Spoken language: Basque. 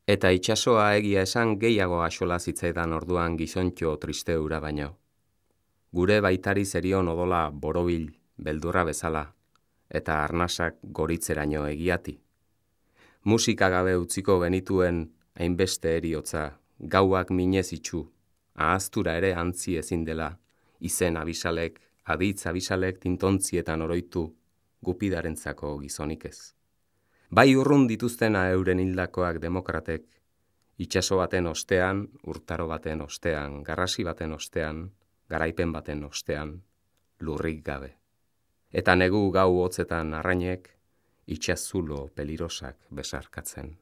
Eta itsasoa egia esan gehiago axola zitzaidan orduan gizontxo triste hura baino. Gure baitari zerion odola borobil beldurra bezala, eta arnasak goritzeraino egiati. Musika gabe utziko genituen hainbeste heriotza, gauak minez itxu, ahaztura ere antzi ezin dela, izen abisalek, aditz abisalek tintontzietan oroitu, gupidarentzako gizonik ez. Bai urrun dituztena euren hildakoak demokratek, itsaso baten ostean, urtaro baten ostean, garrasi baten ostean, garaipen baten ostean, lurrik gabe. Eta negu gau hotzetan arrainek, itsazulo pelirosak besarkatzen.